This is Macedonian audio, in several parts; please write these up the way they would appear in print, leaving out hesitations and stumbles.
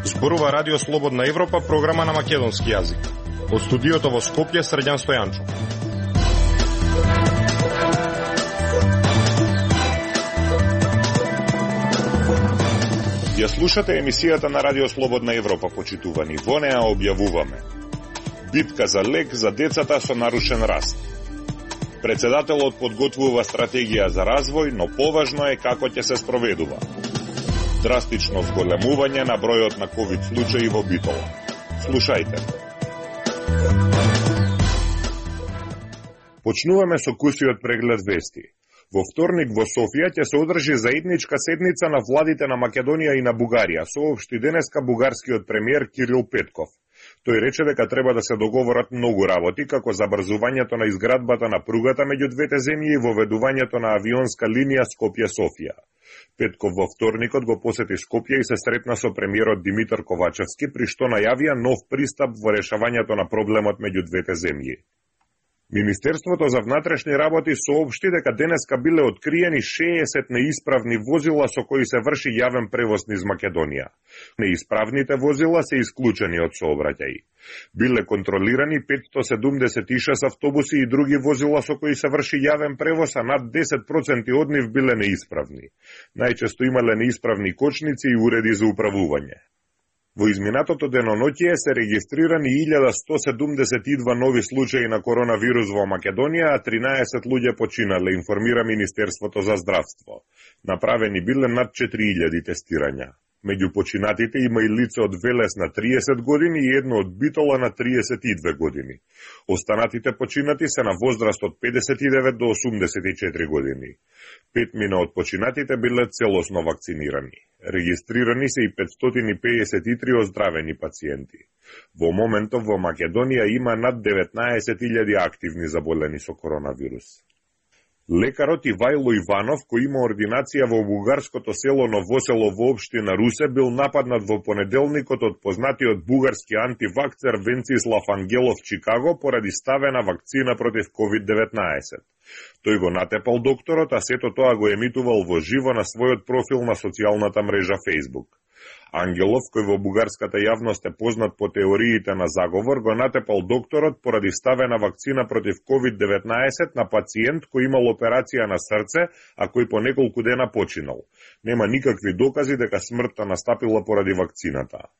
Зборува Радио Слободна Европа, програма на македонски јазик. Од студиото во Скопје, Срđan Стојанчов. Ја слушате емисијата на Радио Слободна Европа, почитувани. Во неа објавуваме: битка за лек за децата со нарушен раст. Председателот подготвува стратегија за развој, но поважно е како ќе се спроведува. Драстично зголемување на бројот на ковид случаи во Битола. Слушајте. Почнуваме со кусиот преглед вести. Во вторник во Софија ќе се одржи заедничка седница на владите на Македонија и на Бугарија, соопшти денеска бугарскиот премиер Кирил Петков. Тој рече дека треба да се договорат многу работи, како забрзувањето на изградбата на пругата меѓу двете земји и воведувањето на авионска линија Скопје-Софија. Петков во вторникот го посети Скопје и се сретна со премиерот Димитар Ковачевски, при што најавија нов пристап во решавањето на проблемот меѓу двете земји. Министерството за внатрешни работи соопшти дека денеска биле откриени 60 неисправни возила со кои се врши јавен превоз низ Македонија. Неисправните возила се исклучени од сообраќај. Биле контролирани 576 автобуси и други возила со кои се врши јавен превоз, а над 10% од нив биле неисправни. Најчесто имале неисправни кочници и уреди за управување. Во изминатото деноноќие се регистрирани 1172 нови случаи на коронавирус во Македонија, а 13 луѓе починале, информира Министерството за здравство. Направени биле над 4000 тестирања. Меѓу починатите има и лице од Велес на 30 години и едно од Битола на 32 години. Останатите починати се на возраст од 59 до 84 години. 5 од починатите биле целосно вакцинирани. Регистрирани се и 553 оздравени пациенти. Во моментов во Македонија има над 19.000 активни заболени со коронавирус. Лекарот Ивајло Иванов, кој има ординација во бугарското село Новосело во општина Русе, бил нападнат во понеделникот од познатиот бугарски антивакцер Венцислав Ангелов Чикаго поради ставена вакцина против COVID-19. Тој го натепал докторот, а сето тоа го емитувал во живо на својот профил на социјалната мрежа Facebook. Ангелов, кој во бугарската јавност е познат по теориите на заговор, го натепал докторот поради ставена вакцина против COVID-19 на пациент кој имал операција на срце, а кој по неколку дена починал. Нема никакви докази дека смртта настапила поради вакцината.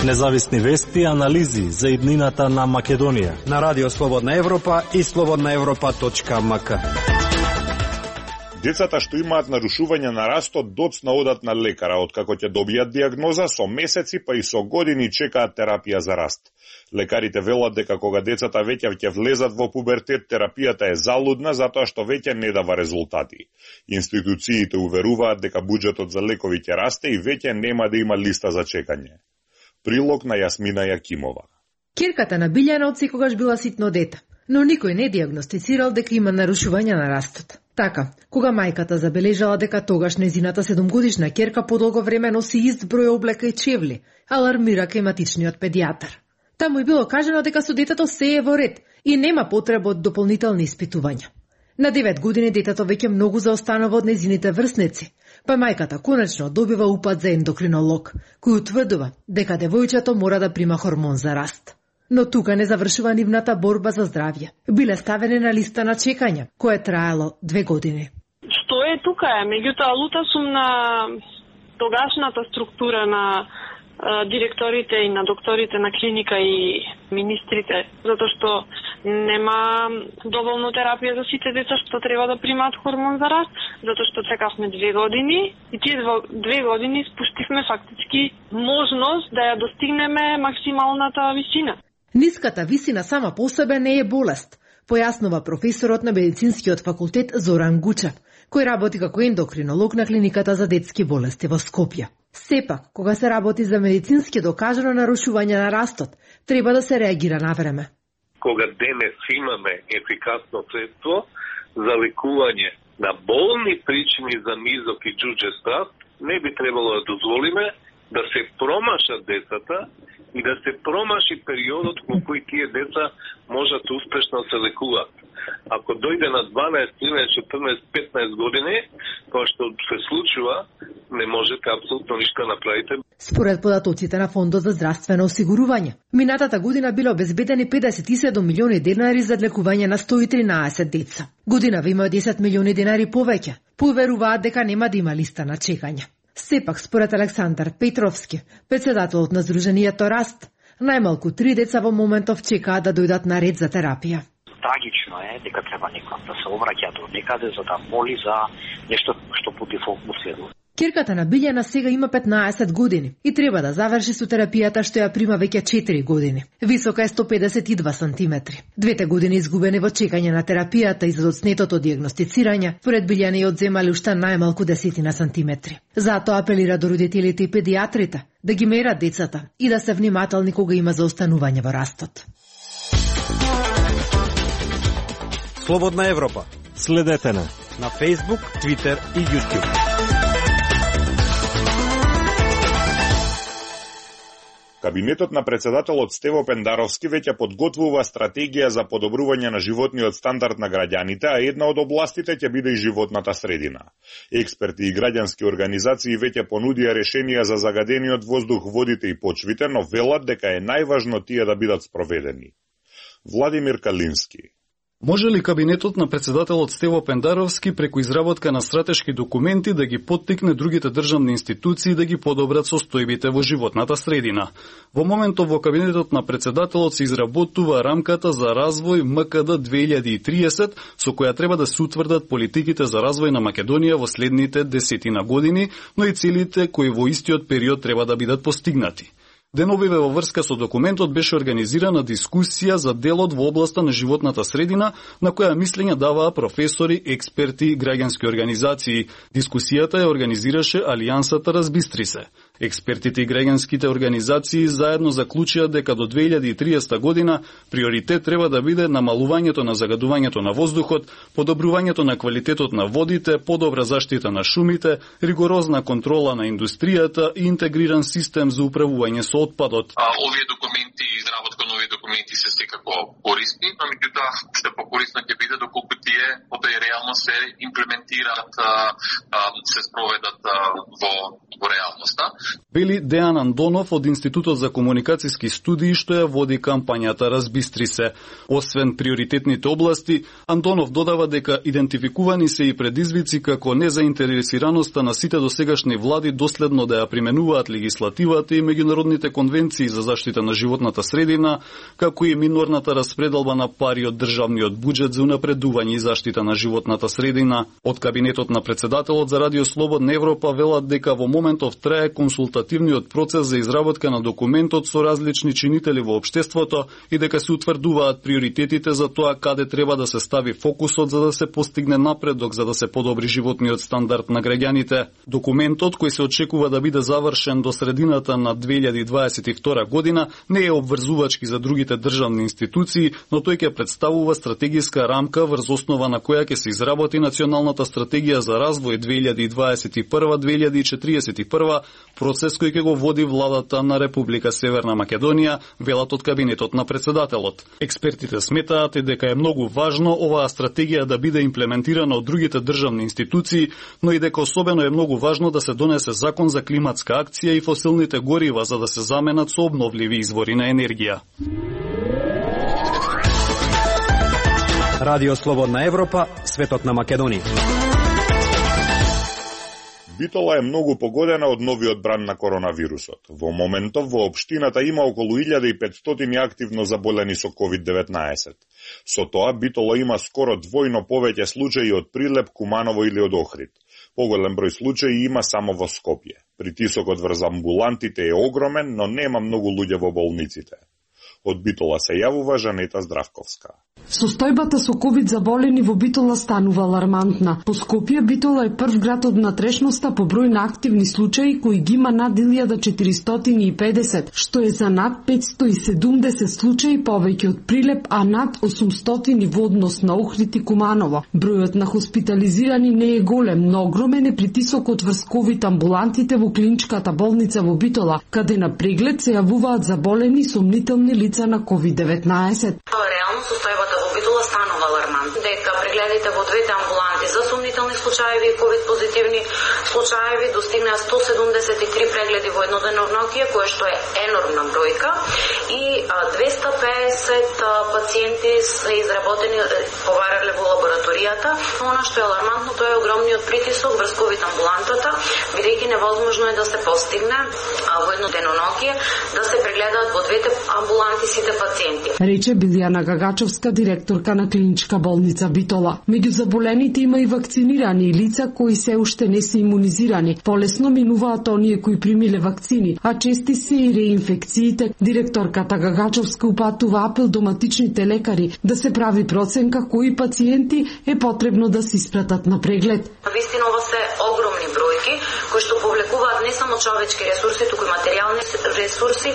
Независни вести и анализи за иднината на Македонија на Радио Слободна Европа и slobodnaevropa.mk. Децата што имаат нарушување на растот доцна одат на лекара, откако ќе добијат диагноза, со месеци па и со години чекаат терапија за раст. Лекарите велат дека кога децата веќе ќе влезат во пубертет, терапијата е залудна затоа што веќе не дава резултати. Институциите уверуваат дека буџетот за лекови ќе расте и веќе нема да има листа за чекање. Прилог на Јасмина Јакимова. Ќерката на Билјана од секогаш била ситно дете, но никој не диагностицирал дека има нарушување на растот. Така, кога мајката забележала дека тогаш незината 7-годишна ќерка подолго време носи ист број облека и чевли, алармира климатичниот педијатар. Таму и било кажано дека со детето се е во ред и нема потреба од дополнителни испитувања. На 9 години детето веќе многу заостанува од незините врсници, па мајката конечно добива упат за ендокринолог, кој утврдува дека девојчето мора да прима хормон за раст. Но тука не завршува нивната борба за здравје. Биле ставени на листа на чекање, кое траело 2 години. Што е тука е, меѓутоа лута сум на тогашната структура на директорите и на докторите на клиника и министрите, затоа што нема доволно терапија за сите деца што треба да примаат хормон за раст, затоа што чекавме 2 години и тие 2 години спуштивме фактички можност да ја достигнеме максималната висина. Ниската висина сама по себе не е болест, појаснува професорот на медицинскиот факултет Зоран Гучев, кој работи како ендокринолог на клиниката за детски болести во Скопје. Сепак, кога се работи за медицински докажано нарушување на растот, треба да се реагира на време. Кога денес имаме ефикасно средство за лекување на болни причини за низок и џуџест раст, не би требало да дозволиме да се промашат децата и да се промаши периодот во кој тие деца можат успешно се лекуваат. Ако дојде на 12, 13, 14, 15 години, тоа што се случува, не можете апсолутно ништо да направите. Според податоците на Фондот за здравствено осигурување, минатата година било обезбедени 57 милиони денари за лекување на 113 деца. Годинава има 10 милиони денари повеќе. Поверуваат дека нема да има листа на чекање. Сепак, според Александар Петровски, председателот на Сдруженијето Раст, најмалку 3 деца во моментов чекаат да дојдат на ред за терапија. Трагично е дека треба некој да се обраќа до некаде за да моли за нешто што по дефолт му следува. Ќерката на Билјана сега има 15 години и треба да заврши со терапијата што ја прима веќе 4 години. Висока е 152 сантиметри. 2 години изгубени во чекање на терапијата и за одснетото дијагностицирање, поред Билјана ја одземале уште најмалку 10 сантиметри. Затоа апелира до родителите и педиатрите да ги мерат децата и да се внимателни кога има заостанување во растот. Слободна Европа. Следете на Facebook, Twitter и YouTube. Кабинетот на председателот Стево Пендаровски веќе подготвува стратегија за подобрување на животниот стандард на граѓаните, а една од областите ќе биде и животната средина. Експерти и граѓански организации веќе понудија решенија за загадениот воздух, водите и почвите, но велат дека е најважно тие да бидат спроведени. Владимир Калински. Може ли кабинетот на председателот Стево Пендаровски преку изработка на стратешки документи да ги поттикне другите државни институции да ги подобрат состојбите во животната средина? Во моментов во кабинетот на председателот се изработува рамката за развој МКД 2030, со која треба да се утврдат политиките за развој на Македонија во следните 10 години, но и целите кои во истиот период треба да бидат постигнати. Деновиве во врска со документот беше организирана дискусија за делот во областа на животната средина, на која мислења даваа професори, експерти и граѓански организации. Дискусијата ја организираше Алијансата Разбистри се. Експертите и граѓанските организации заедно заклучија дека до 2030 година приоритет треба да биде намалувањето на загадувањето на воздухот, подобрувањето на квалитетот на водите, подобра заштита на шумите, ригорозна контрола на индустријата и интегриран систем за управување со отпадот. Овие документи, изработка на овие документи се секако корисни, но меѓутоа што покорисно ќе биде доколку тие потоа реално се имплементираат, се спроведат во реалноста. Вели Дејан Андонов од Институтот за комуникацијски студии што ја води кампањата Разбистри се. Освен приоритетните области, Андонов додава дека идентификувани се и предизвици како незаинтересираноста на сите досегашни влади доследно да ја применуваат легислативата и меѓународните конвенции за заштита на животната средина, како и минорната распределба на пари од државниот буџет за унапредување и заштита на животната средина. Од кабинетот на председателот за Радио Слободна Европа велат дека во моментов трае консултативниот процес за изработка на документот со различни чинители во општеството и дека се утврдуваат приоритетите за тоа каде треба да се стави фокусот за да се постигне напредок за да се подобри животниот стандард на граѓаните. Документот, кој се очекува да биде завршен до средината на 2022 година, не е обврзувачки за другите државни институции, но тој ќе представува стратегиска рамка врз основа на која ќе се изработи националната стратегија за развој 2021-2041, процес кој ќе го води владата на Република Северна Македонија, велат од кабинетот на председателот. Експертите сметаат дека е многу важно оваа стратегија да биде имплементирана од другите државни институции, но и дека особено е многу важно да се донесе закон за климатска акција и фосилните горива за да се заменат со обновливи извори на енергија. Радио Слободна Европа, светот на Македонија. Битола е многу погодена од новиот бран на коронавирусот. Во моментов во општината има околу 1500 активно заболени со COVID-19. Со тоа Битола има скоро двојно повеќе случаи од Прилеп, Куманово или од Охрид. Поголем број случаи има само во Скопје. Притисокот врз амбулантите е огромен, но нема многу луѓе во болниците. Од Битола се јавува Жанета Здравковска. Состојбата со ковид заболени во Битола станува алармантна. По Скопје, Битола е прв град од внатрешноста по број на активни случаи кои ги има над 1450, што е за над 570 случаи повеќе од Прилеп, а над 800 во однос на Охрид и Куманово. Бројот на хоспитализирани не е голем, но огромен е притисокот врз ковид амбулантите во клиничката болница во Битола, каде на преглед се јавуваат заболени сомнителни лица на COVID-19. Реално состојбата во Битола станува алармантна, дека прегледите во двете амбуланти за сомнителни случаи и ковид позитивни случаи достигнаа 173 прегледи во еднодневнокие, кое што е енормна бројка, и 250 пациенти се изработени поварале во лабораторијата. Она што е алармантно, тоа е огромниот притисок врз ковид амбулантата, бидејќи невозможно е да се постигне во еднодневнокие да се прегледаат во двете амбуланти сите пациенти. Рече Билјана Гагачовска, директорка на клиничка болница Битола. Меѓу заболените има и вакцинирани лица кои се уште не се имунизирани. Полесно минуваат оние кои примиле вакцини, а чести се и реинфекциите. Директорката Гагачовска упатува апел до матичните лекари да се прави проценка кои пациенти е потребно да се испратат на преглед. Вистина ова се огромни бројки кои што повлекуваат не само човечки ресурси, туку и материјални ресурси,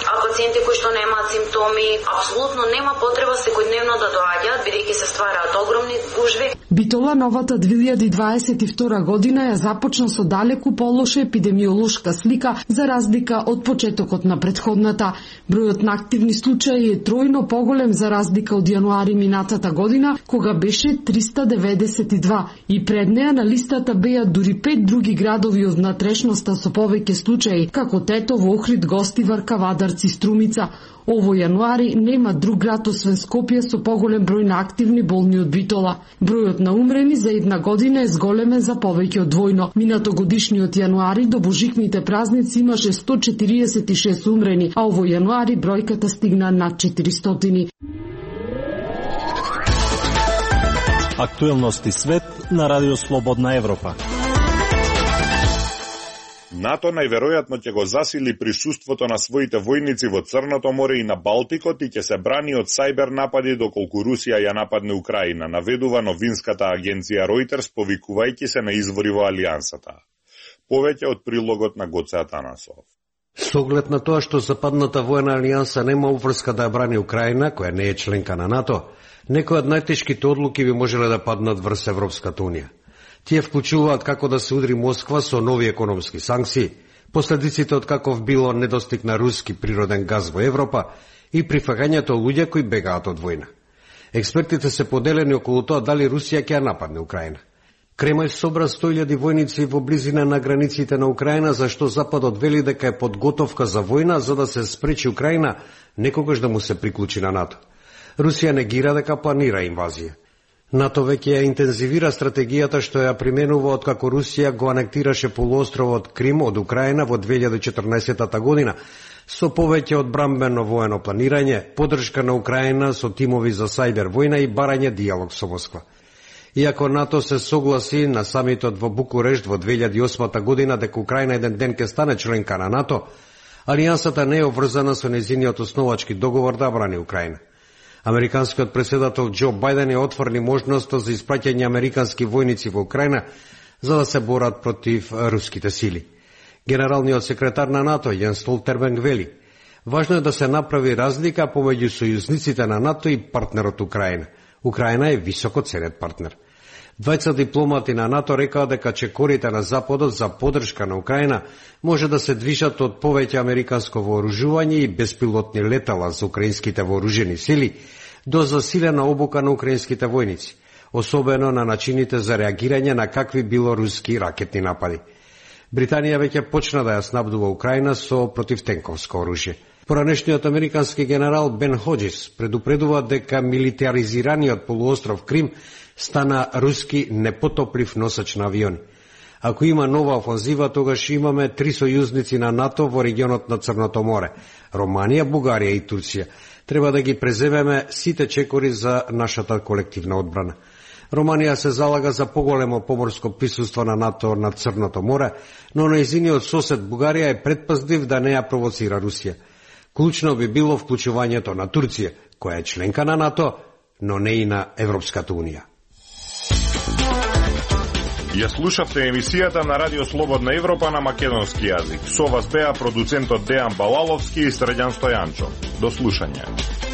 а пациенти кои што немаат симптоми, апсолутно нема потреба секојдневно да доаѓаат, бидејќи се ствараат огромни гужви. Битола новата 2022 година ја започна со далеку полоша епидемиолошка слика за разлика од почетокот на претходната. Бројот на активни случаи е тројно поголем за разлика од јануари минатата година, кога беше 392. И пред неа на листата беа дури 5 други градови од внатрешноста со повеќе случаи, како Тетово, Охрид, Гостивар, Кавадарци, Струмица. Ово јануари нема друг град освен Скопје со поголем број на активни болни од Битола. Бројот на умрени за една година е зголемен за повеќе од двојно. Минатогодишниот јануари до божикните празници имаше 146 умрени, а ово јануари бројката стигна над 400. Актуелности свет на Радио Слободна Европа. НАТО најверојатно ќе го засили присуството на своите војници во Црното море и на Балтикот и ќе се брани од сајбер напади доколку Русија ја нападне Украина, наведува новинската агенција Reuters, повикувајќи се на извори во алијансата. Повеќе од прилогот на Гоце Атанасов. С оглед на тоа што западната војна алијанса нема уврска да ја брани Украина, која не е членка на НАТО, некои од најтешките одлуки би можеле да паднат врз Европската унија. Тие вклучуваат како да се удри Москва со нови економски санкции, последиците од каков било недостиг на руски природен газ во Европа и прифагањето луѓе кои бегаат од војна. Експертите се поделени околу тоа дали Русија ќе ја нападне Украина. Кремљ собра 100.000 војници во близина на границите на Украина, зашто Западот вели дека е подготовка за војна за да се спречи Украина некогаш да му се приклучи на НАТО. Русија негира дека планира инвазија. НАТО веќе ја интензивира стратегијата што ја применува откако Русија го анектираше полуостровот Крим од Украина во 2014 година, со повеќе одбрамбено воено планирање, подршка на Украина со тимови за сајбер војна и барање диалог со Москва. Иако НАТО се согласи на самитот во Букурешт во 2008 година дека Украина еден ден ќе стане членка на НАТО, алијансата не е обврзана со нејзиниот основачки договор да брани Украина. Американскиот претседател Џо Бајден ја отворни можноста за испраќање американски војници во Украина за да се борат против руските сили. Генералниот секретар на НАТО Јенс Столтерберг вели: важно е да се направи разлика помеѓу сојузниците на НАТО и партнерот Украина. Украина е високо ценет партнер. Двајца дипломати на НАТО рекаа дека чекорите на Западот за подршка на Украина може да се движат од повеќе американско вооружување и беспилотни летала за украинските вооружени сили до засилена обука на украинските војници, особено на начините за реагирање на какви било руски ракетни напади. Британија веќе почна да ја снабдува Украина со противтенковско оружје. Поранешниот американски генерал Бен Ходжис предупредува дека милитаризираниот полуостров Крим стана руски непотоплив носач на авиони. Ако има нова офанзива, тогаш имаме 3 сојузници на НАТО во регионот на Црното море – Романија, Бугарија и Турција. Треба да ги преземеме сите чекори за нашата колективна одбрана. Романија се залага за поголемо поморско присуство на НАТО на Црното море, но нејзиниот сосед Бугарија е предпазлив да не ја провоцира Русија. Клучно би било вклучувањето на Турција, која е членка на НАТО, но не и на Европската Унија. Ја слушавте емисијата на Радио Слободна Европа на македонски јазик. Со вас беа продуцентот Дејан Балаловски и Средјан Стојанчо. До слушање.